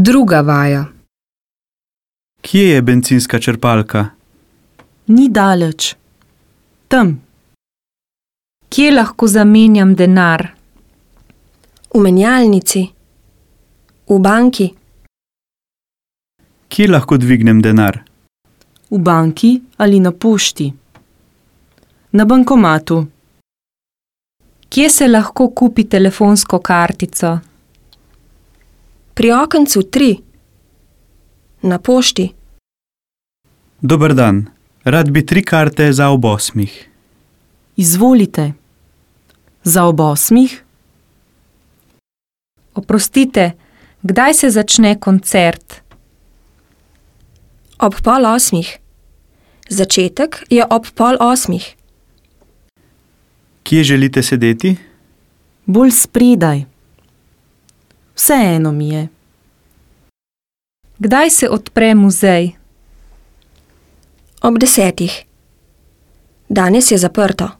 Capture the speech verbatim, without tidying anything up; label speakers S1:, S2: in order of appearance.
S1: Druga vaja.
S2: Kje je bencinska črpalka?
S3: Ni daleč. Tam.
S1: Kje lahko zamenjam denar?
S4: V menjalnici. V banki.
S2: Kje lahko dvignem denar?
S3: V banki ali na pošti. Na bankomatu.
S1: Kje se lahko kupi telefonsko kartico?
S4: Pri okencu tri. Na pošti.
S2: Dober dan. Rad bi tri karte za ob osmih.
S3: Izvolite. Za ob osmih?
S1: Oprostite, kdaj se začne koncert?
S4: Ob pol osmih. Začetek je ob pol osmih.
S2: Kje želite sedeti?
S3: Bolj spredaj. Vseeno mi je.
S1: Kdaj se odpre muzej?
S4: Ob desetih. Danes je zaprto.